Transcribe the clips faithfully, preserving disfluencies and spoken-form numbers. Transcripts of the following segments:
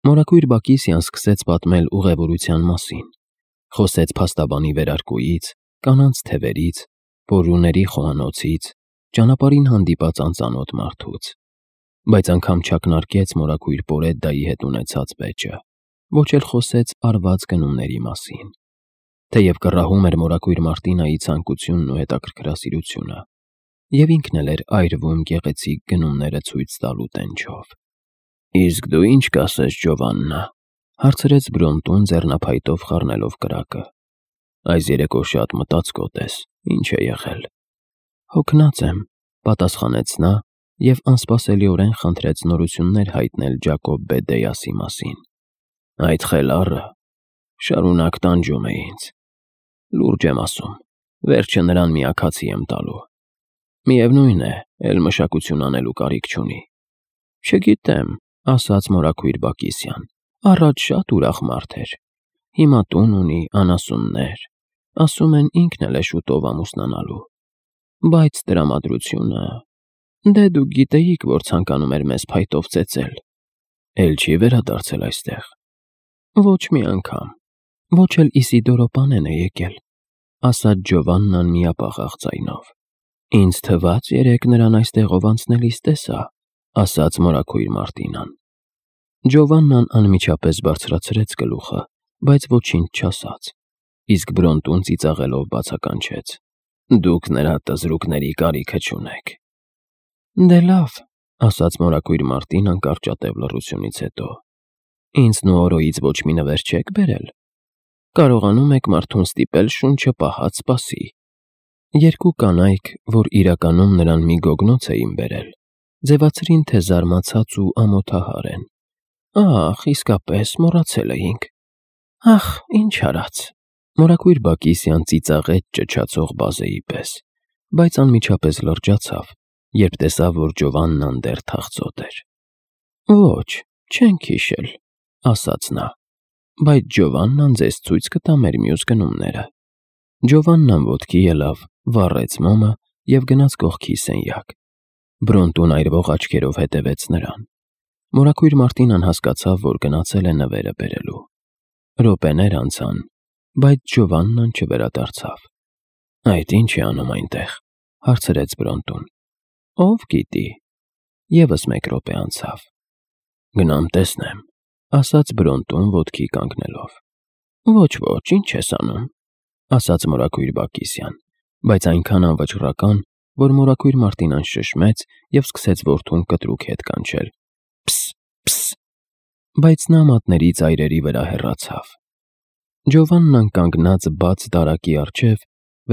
Մորաքույր Բակիսյան սկսեց պատմել ուղևորության մասին, խոսեց փաստաբանի վերարկուից, կանանց թևերից, պորուների խոհանոցից, ճանապարհին հանդիպած անծանոթ մարդուց, բայց անգամ չակնարկեց մորաքույր Պորեդդայի հետ ունեցած վեճը, ոչ էլ խոսեց արված գնումների մասին, թեև կռահում էր մորաքույր Մարտինայի ցանկությունն ու հետաքրքրասիրությունը, և ինքն էլ էր այրվում գեղեցիկ գնումները ցույց տալու տենչով։ «Իսկ դու ինչ կասես, Ջովաննա», հարցրեց Բրոնտուն ձեռնափայտով խառնելով կրակը։ «Այս երեկո շատ մտածկոտ ես, ինչ է եղել»։ «Հոգնած եմ», պատասխանեց նա և անսպասելիորեն խնդրեց նորություններ հայտնել Ջակոբ Բեդեասի մասին։ «Այդ խելառը շարունակ տանջում է ինձ։ Լուրջ եմ ասում, վերջը նրան մի աքացի եմ տալու։ Միևնույն է, էլ մշակություն անելու կարիք չունի»։ «Չգիտեմ», ասաց մորաքույր Բակիսյան, «առաջ շատ ուրախ մարդ էր, հիմա տուն ունի, անասուններ, ասում են ինքն էլ է շուտով ամուսնանալու, բայց տրամադրությունը… Դե դուք գիտեիք, որ ցանկանում էր մեզ փայտով ծեծել»։ «Էլ չի վերադարձել այստեղ»։ «Ոչ մի անգամ, ոչ էլ Իսիդորո պանեն է եկել», ասաց Ջովաննան միապաղաղ ձայնով։ «Ինձ թվաց երեկ նրան այստեղով անցնելիս տեսա», ասաց մորաքույր Մարտինան։ Ջովաննան անմիջապես բարձրացրեց գլուխը, բայց ոչինչ չասաց, իսկ Բրոնտուն ծիծաղելով բացականչեց. «Դուք նրա տզրուկների կարիքը չունեք»։ «Դե լավ», ասաց մորաքույր Մարտինան կարճատև լռությունից հետո, «ինձ Նուորոյից ոչ մի նվեր չեք բերել։ Կարողանում եք մարդուն ստիպել շունչը պահած սպասի»։ Երկու կանայք, որ իրականում նրան մի գոգնոց էին բերել, ձևացրին, թե զարմացած ու ամոթահար են։ «Ախ, իսկապես, մոռացել էինք»։ «Ախ, ինչ արած»։ Մորաքույր Բակիսյան ծիծաղեց ճչացող բազեի պես, բայց անմիջապես լրջացավ, երբ տեսավ, որ Ջովաննան դեռ թախծոտ էր։ «Ոչ, չենք հիշել», ասաց նա, «բայց Ջովաննան ձեզ ցույց կտա մեր մյուս գնումները»։ Ջովաննան ոտքի ելավ, վառեց մոմը և գնաց կողքի սենյակ։ Բրոնտուն այրվող աչքերով հետևեց նրան։ Մորաքույր Մարտինան հասկացավ, որ գնացել է նվերը բերելու։ Րոպեներ անցան, բայց Ջովաննան չվերադարձավ։ «Այդ ի՞նչ է անում այնտեղ», հարցրեց Բրոնտուն։ «Ով գիտի»։ Եվս մեկ րոպե անցավ։ «Գնամ տեսնեմ», ասաց Բրոնտուն ոտքի կանգնելով։ «Ոչ, ոչ, ինչ ես անում», ասաց մորաքույր Բակիսյան, բայց այնքան անվճռական, որ մորաքույր Մարտինան շշմեց և սկսեց որդուն կտրուկ հետ կանչել. «Փս, փս»։ Բայց նա մատների ծայրերի վրա հեռացավ։ Ջովաննան կանգնած բաց դարակի առջև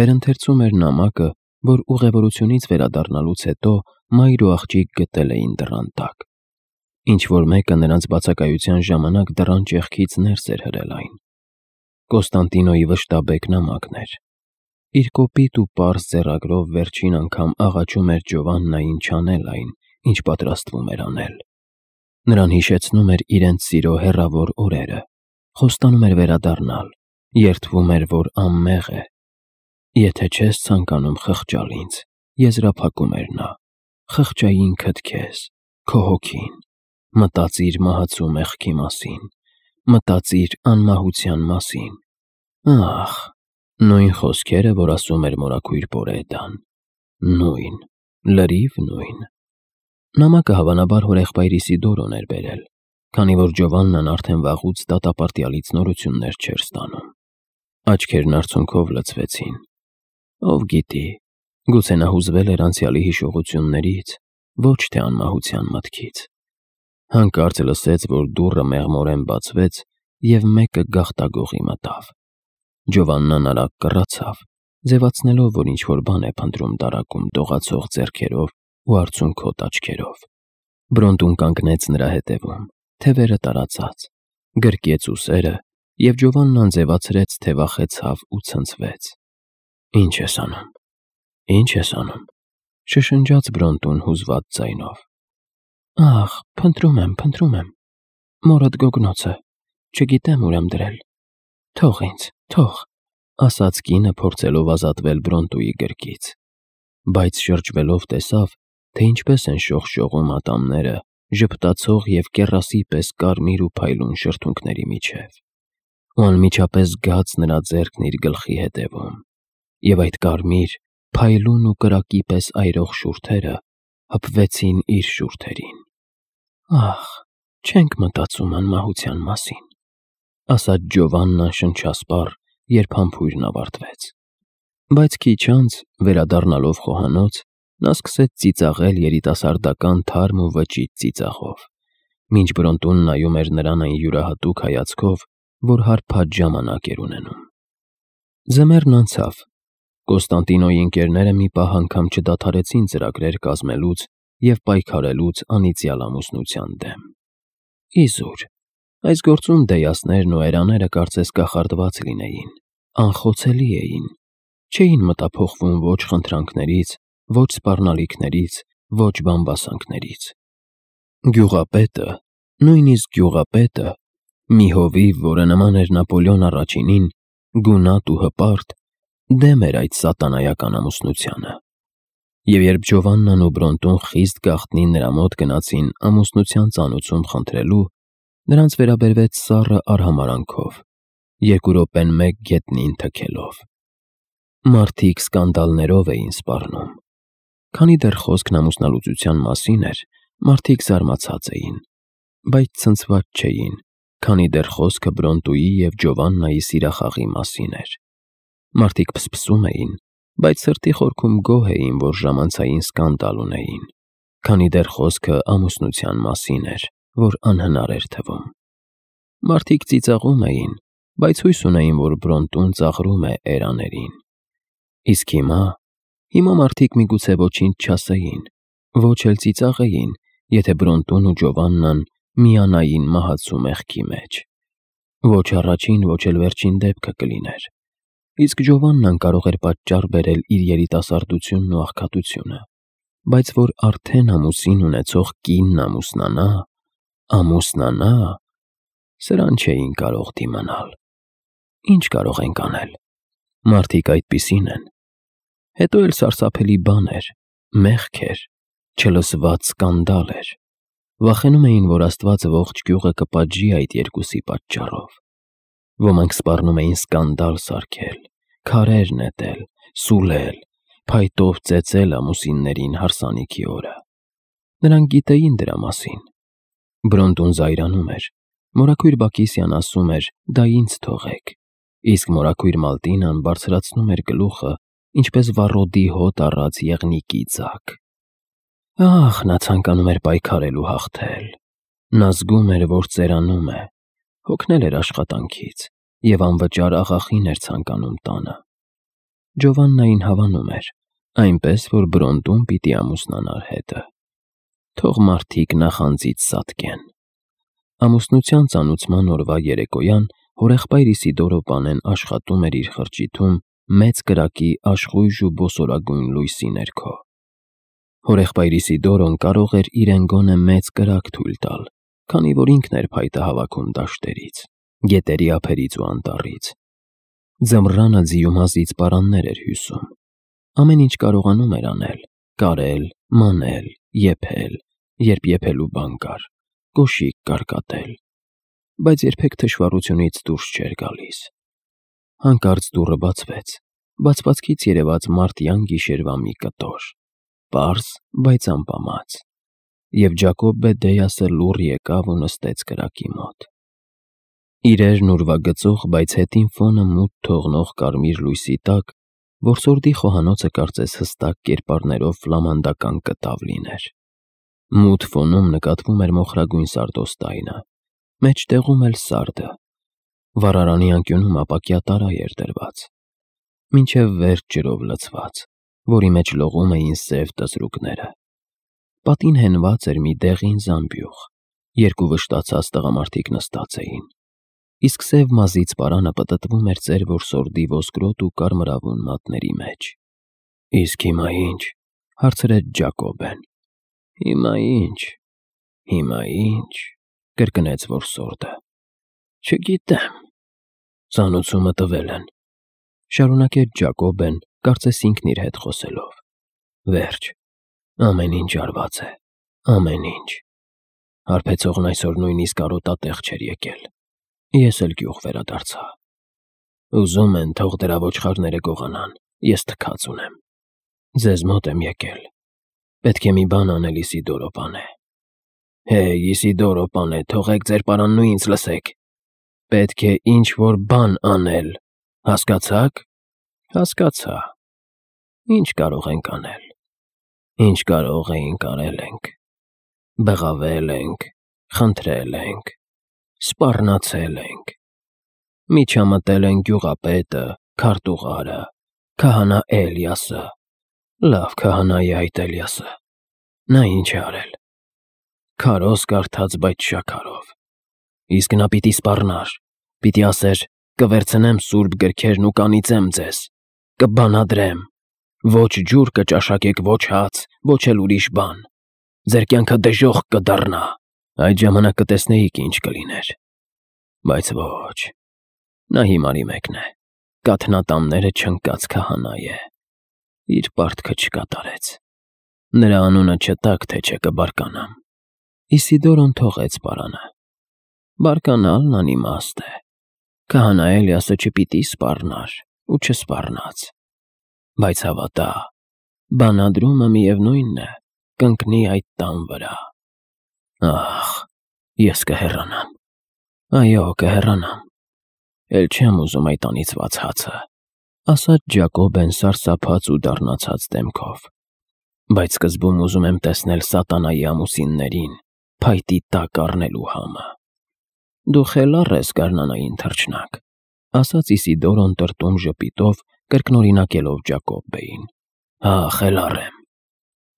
վերընթերցում էր նամակը, որ ուղևորությունից վերադառնալուց հետո մայր ու աղջիկ գտել էին դռան տակ։ Ինչ-որ մեկը նրանց բացակայության ժամանակ դռան ճեղքից ներս էր հրել այն։ Կոստանդինոյի վշտաբեկ նամակն էր։ Իր կոպիտ ու պարզ ձեռագրով վերջին անգամ աղաչում էր Ջովաննային չանել այն, ինչ պատրաստվում էր անել։ Նրան հիշեցնում էր իրենց սիրո հեռավոր օրերը, խոստանում էր վերադառնալ, երդվում էր, որ անմեղ է։ «Եթե չես ցանկանում խղճալ ինձ», եզրափակում էր նա, «խղճա ինքդ քեզ, քո հոգին, մտածիր մահացու մեղքի մասին, մտածիր անմահության մասին»։ Ահ, նույն խոսքերը, որ ասում էր մորաքույր Պորեդդան, նույն, լրիվ նույն։ Նամակը հավանաբար հորեղբայր Իսիդորոն էր բերել, քանի որ Ջովաննան արդեն վաղուց դատապարտյալից նորություններ չէր ստանում։ Աչքերն արցունքով լցվեցին։ Ով գիտի, գուցե նա հուզվել էր անցյալի հիշողություններից, ոչ թե անմահության մտքից։ Հանկարծ լսեց, որ դուռը մեղմորեն բացվեց, և մեկը գաղտագողի մտավ։ Ջովաննան արագ կռացավ, ձևացնելով, որ ինչ-որ բան է փնտրում դարակում դողացող ձեռքերով ու արցունքոտ աչքերով։ Բրոնտուն կանգնեց նրա հետևում, թևերը տարածած, գրկեց ուսերը, և Ջովաննան ձևացրեց, թե վախեցավ ու ցնցվեց։ «Ինչ ես անում, ինչ ես անում», շշնջաց Բրոնտուն հուզված ձայնով։ «Ախ, փնտրում եմ, փնտրում եմ, մորդ գոգնոցը, չգիտեմ ուր եմ դրել։ Թող ինձ, թող», ասաց կինը, փորձելով ազատվել Բրոնտուի գրկից, բայց շրջվելով տեսավ, թե ինչպես են շողշողում ատամները ժպտացող և կեռասի պես կարմիր ու փայլուն շրթունքների միջև, ու անմիջապես զգաց նրա ձեռքն իր գլխի հետևում, և այդ կարմիր, փայլուն ու կրակի պես այրող շուրթերը հպվեցին իր շուրթերին։ «Ախ, չենք մտածում անմահության մասին», ասաց Ջովաննան շնչասպառ, երբ համբույրն ավարտվեց։ Բայց քիչ անց, վերադառնալով խոհանոց, նա սկսեց ծիծաղել երիտասարդական թարմ ու վճիտ ծիծաղով, մինչ Բրոնտուն նայում էր նրան այն յուրահատուկ հայացքով, որ հարբած ժամանակ էր ունենում։ Ձմեռն անցավ։ Կոստանդինոյի ընկերները մի պահ անգամ չդադարեցին ծրագրեր կազմելուց և պայքարելուց անիծյալ ամուսնության դեմ։ Իզուր, այս գործում դեյասներն ու էրաները կարծես կախարդված լինեին, անխոցելի էին, չէին մտափոխվում ոչ խնդրանքներից, ոչ սպառնալիքներից, ոչ բամբասանքներից։ Գյուղապետը, նույնիսկ գյուղապետը, մի հովիվ, որը նման էր Նապոլեոն առաջինին, գունատ ու հպարտ, դեմ էր այդ սատանայական ամուսնությանը։ Եվ երբ Ջովաննան ու Բրոնտուն խիստ գաղտնի նրա մոտ գնացին ամուսնության ծանուցում խնդրելու, նրանց վերաբերվեց սառը արհամարհանքով, երկու րոպեն մեկ գետնին թքելով։ Մարդիկ սկանդալներով էին սպառնում։ Քանի դեռ խոսքն ամուսնալուծության մասին էր, մարդիկ զարմացած էին, բայց ցնցված չէին, քանի դեռ խոսքը Բրոնտուի և Ջովաննայի սիրախաղի մասին էր։ Մարդիկ փսփսում էին, բայց սրտի խորքում գոհ էին, որ ժամանցային սկանդալ ունեին, քանի դեռ խոսքը ամուսնության մասին էր, որ անհնար էր թվում։ Մարդիկ ծիծաղում էին, բայց հույս ունեին, որ Բրոնտուն ծաղրում է էրաներին։ Իսկ հիմա, հիմա մարդիկ միգուցե ոչինչ չասեին, ոչ էլ ծիծաղեին, եթե Բրոնտուն ու Ջովաննան միանային մահացու մեղքի մեջ։ Ոչ առաջին, ոչ էլ վերջին դեպքը կլիներ։ Իսկ Ջովաննան կարող էր պատճառ բերել իր երիտասարդությունն ու աղքատությունը, բայց որ արդեն ամուսին ունեցող կինն ամուսնանա, ամուսնանա, սրան չէին կարող դիմանալ։ Ինչ կարող ենք անել։ Մարդիկ այդպիսին են։ Հետո էլ սարսափելի բան էր, մեղք էր, չլսված սկանդալ էր։ Վախենում էին, որ Աստված ողջ գյուղը կպատժի այդ երկուսի պատճառով։ Ոմանք սպառնում էին սկանդալ սարքել, քարեր նետել, սուլել, փայտով ծեծել ամուսիններին հարսանիքի օրը։ Նրանք գիտեին դրա մասին։ Բրոնտուն զայրանում էր։ Մորաքույր Բակիսյան ասում էր՝ դա ինձ թողեք, իսկ մորաքույր Մալտինան բարձրացնում էր գլուխը, ինչպես վառոդի հոտ առած եղնիկի ձագ։ Ահ, նա ցանկանում էր պայքարել ու հաղթել։ Նա զգում էր, որ ծերանում է, հոգնել էր աշխատանքից և անվճար աղախին էր ցանկանում տանը։ Ջովաննային հավանում էր, այնպես, որ Բրոնտուն պիտի ամուսնանար հետը։ Թող մարդիկ նախանձից սատկեն։ Ամուսնության ծանուցման օրվա երեկոյան հորեղբայր Իսիդորո պանեն աշխատում էր իր խրճիթում մեծ կրակի աշխույժ ու բոսորագույն լույսի ներքո։ Հորեղբայր Իսիդորոն կարող էր իրեն գոնե մեծ կրակ թույլ տալ, քանի որ ինքն էր փայտը հավաքում դաշտերից, գետերի ափերից ու անտառից։ Ձմռանը ձիումազից պարաններ էր հյուսում։ Ամեն ինչ կարողանում էր անել՝ կարել, մանել, եփել, երբ եփելու բան կար, կոշիկ կարկատել, բայց երբեք թշվառությունից դուրս չէր գալիս։ Հանկարծ դուռը բացվեց, բացվածքից երևաց մարտյան գիշերվա մի կտոր, պարզ, բայց ամպամած, և Ջակոբբե Դեյասը լուռ եկավ ու նստեց կրակի մոտ։ Իրերն ուրվագծող, բայց հետին ֆոնը մութ թողնող կարմիր լույսի տակ որսորդի խոհանոցը կարծես հստակ կերպարներով ֆլամանդական կտավ լիներ։ Մութ ֆոնում նկատվում էր մոխրագույն սարդոստայնը, մեջտեղում էլ սարդը։ Վառարանի անկյունում ապակյա տարա էր դրված, մինչև վերջ ջրով լցված, որի մեջ լողում էին սև տզրուկները։ Պատին հենված էր մի դեղին զամբյուղ, երկու վշտացած տղամարդիկ նստած էին, իսկ սև մազից պարանը պտտվում էր ծեր որսորդի ոսկրոտ ու կարմրավուն մատների մեջ։ Իսկ հիմա ի՞նչ, հարցրեց Ջակոբբեն։ Հիմա ի՞նչ, հիմա ի՞նչ, կրկնեց որսորդը։ Չգիտեմ, ծանուցումը տվել են, շարունակեց Ջակոբբեն, կարծես ինքն իր հետ խոսելով։ Վերջ, ամեն ինչ արված է, ամեն ինչ։ Հարբեցողն այսօր նույնիսկ արոտատեղ չէր եկել։ Ես էլ գյուղ վերադարձա։ Ուզում են, թող դրա ոչխարները գողանան, ես թքած ունեմ։ Ձեզ մոտ եմ եկել։ Պետք է մի բան անել, Իսիդորո պանե։ Հեյ, Իսիդորո պանե, թողեք ձեր պարանն ու ինձ լսեք։ Պետք է ինչ-որ բան անել, հասկացա՞ք։ Հասկացա։ Ինչ կարող ենք անել։ Ինչ կարող էինք արել ենք։ Բղավել ենք, խնդրել ենք, սպառնացել ենք։ Միջամտել են գյուղապետը, քարտուղարը, քահանա Էլիասը, լավ քահանայի այդ Էլիասը։ Նա ինչ է արել։ Քարոզ կարդաց, բայց շաքարով։ Իսկ նա պիտի սպառնար, պիտի ասեր. կվերցնեմ սուրբ գրքերն ու կանիծեմ ձեզ, կբանադրեմ, ոչ ջուր կճաշակեք, ոչ հաց, ոչ էլ ուրիշ բան, ձեր կյանքը դժոխք կդառնա, այդ ժամանակ կտեսնեիք ինչ կլիներ։ Բայց ոչ, նա հիմարի մեկն է, կաթնատանները չընկած քահանա է, իր պարտքը չկատարեց, նրա անունը չտաք, թե չէ կբարկանամ։ Իսիդորոն թողեց պարանը։ Բարկանալն անիմաստ է։ Քահանա Էլիասը չպիտի սպառնար ու չսպառնաց։ Բայց հավատա, բանադրումը միևնույնն է, կընկնի այդ տան վրա։ Ախ, ես կհեռանամ։ Այո, կհեռանամ։ Էլ չեմ ուզում այդ անիծված հացը, ասաց Ջակոբեն սարսափած ու դառնացած դեմքով։ Բայց սկզբում ուզում եմ տեսնել սատանայի ամուսիններին, փայտի տակ առնելու համը։ Դու խելառ ես, գարնանային թռչնակ, ասաց Իսիդորոն տրտում ժպիտով, կրկնօրինակելով Ջակոբբեին։ Հա, խելառ եմ,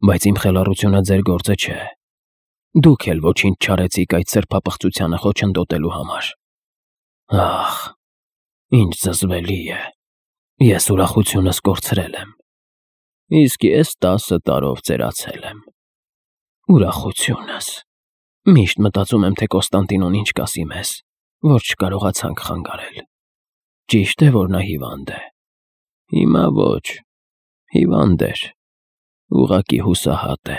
բայց իմ խելառությունը ձեր գործը չէ։ Դուք էլ ոչինչ չարեցիք այդ սրբապղծությանը խոչընդոտելու համար։ Ախ, ինչ զզվելի է, ես ուրախությունս կորցրել եմ, իսկ ես տասը տարով ծերացել եմ։ Ուրախությունս։ Միշտ մտածում եմ, թե Կոստանդինոն ինչ կասի մեզ, որ չկարողացանք խանգարել։ Ճիշտ է, որ նա հիվանդ է։ Հիմա ոչ, հիվանդ էր, ուղղակի հուսահատ է,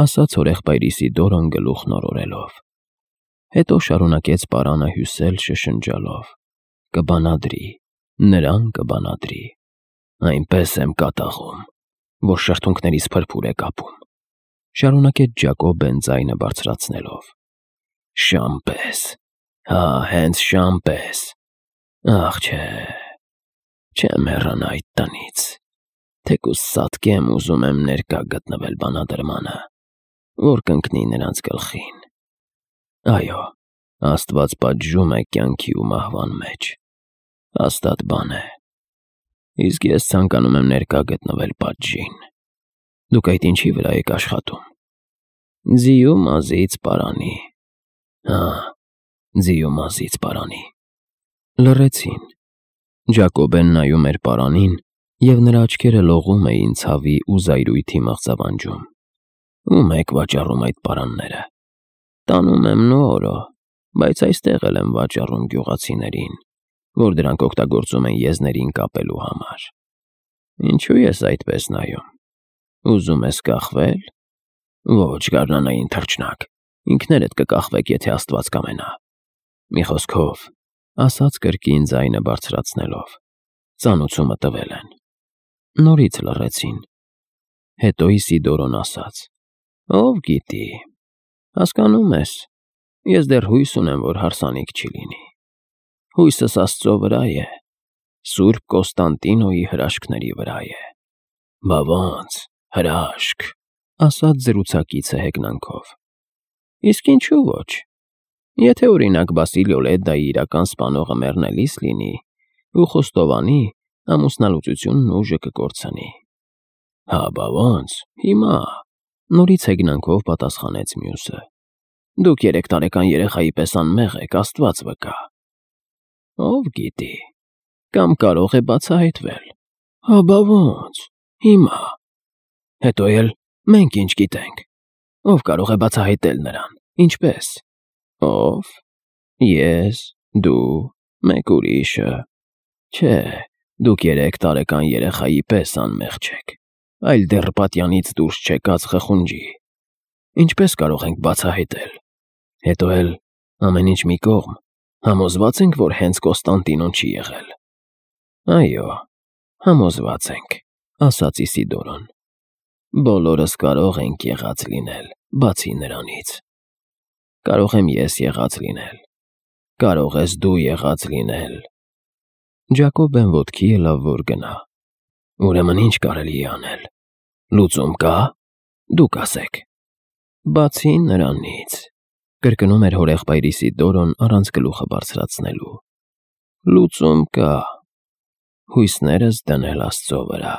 ասաց հորեղբայր Իսիդորոն գլուխն օրորելով։ Հետո շարունակեց պարանը հյուսել շշնջալով. կբանադրի, նրան կբանադրի, այնպես եմ կատաղում, որ շրթունքներից փրփուր է կապում, շարունակեց Ջակոբեն ձայնը բարձրացնելով։ Շամ պես, հա, հենց շամ պես, ախ չէ, չեմ հեռանա այդ տնից, թեկուզ սատկեմ ուզում եմ ներկա գտնվել բանադրմանը, որ կընկնի նրանց գլխին։ Այո, Աստված պատժում է կյանքի ու մահվան մեջ, հաստատ բան է, իսկ ես ցանկանում եմ ներկա գտնվել պատժին։ Դուք այդ ինչի վրա եք աշխատում։ Ձիու մազից պարանի։ Հա, ձիու մազից պարանի։ Լռեցին։ Ջակոբեն նայում էր պարանին, և նրա աչքերը լողում էին ցավի ու զայրույթի մղձավանջում։ Ում եք վաճառում այդ պարանները։ Տանում եմ Նուորո, բայց այստեղ էլ եմ վաճառում գյուղացիներին, որ դրանք օգտագործում են եզներին կապելու համար։ Ինչու ես այդպես նայում։ Ուզում ես կախվել։ Ոչ, գարնանային թռչնակ, ինքներդ կկախվեք, եթե Աստված կամենա։ Մի խոսքով, ասաց կրկին ձայնը բարձրացնելով, ծանուցումը տվել են։ Նորից լռեցին։ Հետո Իսիդորոն ասաց. Ով գիտի, հասկանում ես, ես դեռ հույս ունեմ, որ հարսանիք չի լինի։ Հույսս Աստծո վրա է, Սուրբ Կոստանդինոյի հրաշքների վրա է։ Բա ոնց, հրաշք, ասաց զրուցակիցը հեգնանքով։ Իսկ ինչու ոչ։ Եթե օրինակ Բասիլիո Լեդդայի իրական սպանողը մեռնելիս լինի, ու խոստովանի, ամուսնալուծությունն ուժը կկորցնի։ Հա, բա ոնց, հիմա, նորից հեգնանքով պատասխանեց մյուսը։ Դուք երեք տարեկան երեխայի պես անմեղ եք, Աստված վկա։ Ով գիտի, կամ կարող է բացահայտվել։ Հա, բա ոնց, հիմա։ Հետո էլ մենք ինչ գիտենք։ Ով կարող է բացահայտել նրան, ինչպես։ Ով։ Ես, դու, մեկ ուրիշը։ Չէ, դուք երեք տարեկան երեխայի պես անմեղ չեք, այլ դեռ պատյանից դուրս չեկած խխունջի։ Ինչպես կարող ենք բացահայտել, Հետո էլ ամեն ինչ մի կողմ, համոզվա՞ծ ենք, որ հենց Կոստանդինոն չի եղել։ Այո, համոզված ենք, ասաց Իսիդորոն։ Բոլորս կարող ենք եղած լինել, բացի նրանից։ Կարող եմ ես եղած լինել, կարող ես դու եղած լինել։ Ջակոբն ոտքի ելավ, որ գնա։ Ուրեմն ինչ կարելի է անել։ Լուծում կա, դուք ասեք։ Բացի նրանից, կրկնում էր հորեղբայր Իսիդորոն առանց գլուխը բարձրացնելու։ Լուծում կա, հույսներս դնել Աստծո վրա։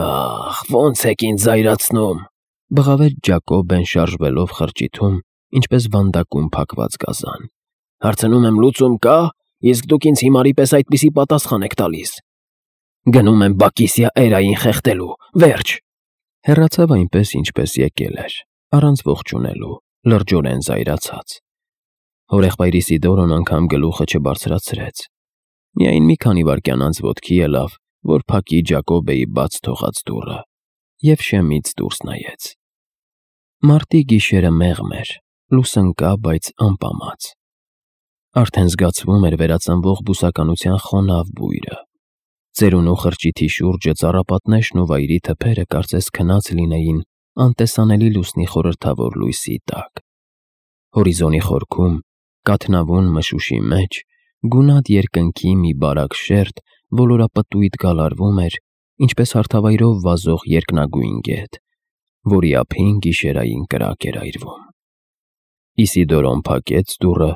Ախ, ո՞նց եք ինձ զայրացնում, բղավեց Ջակոբն շարժվելով խրճիթում, ինչպես վանդակում փակված գազան։ Հարցնում եմ, լուծում կա, իսկ դուք ինձ հիմարի պես այդպիսի պատասխան եք տալիս։ Գնում եմ Բակիսիա Էրային խեղդելու, վերջ։ Հեռացավ այնպես, ինչպես եկել էր, առանց ողջունելու, լրջորեն զայրացած։ Հորեղբայր Իսիդորոն անգամ գլուխը չբարձրացրեց։ Միայն մի քանի վայրկյան անց ոտքի ելավ, որ փակի Ջակոբեի բաց թողած դուռը, և շեմից դուրս նայեց։ Մարտի գիշերը մեղմ էր, լուսն կա, բայց անպամած։ Արդեն զգացվում էր վերածնվող բուսականության խոնավ բույրը։ Ծերունու խրճիթի շուրջը ծառապատնեշն ու վայրի թփերը կարծես քնած լինեին անտեսանելի լուսնի խորհրդավոր լույսի տակ։ Հորիզոնի խորքում, կաթնավուն մշուշի մեջ, գունատ երկնքի մի բարակ շերտ ոլորապտույտ գալարվում էր, ինչպես հարթավայրով վազող երկնագույն գետ, որի ափին գիշերային կրակ էր այրվում։ Իսիդորոն փակեց դուռը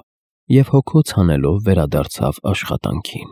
և հոգոց հանելով վերադարձավ աշխատանքին։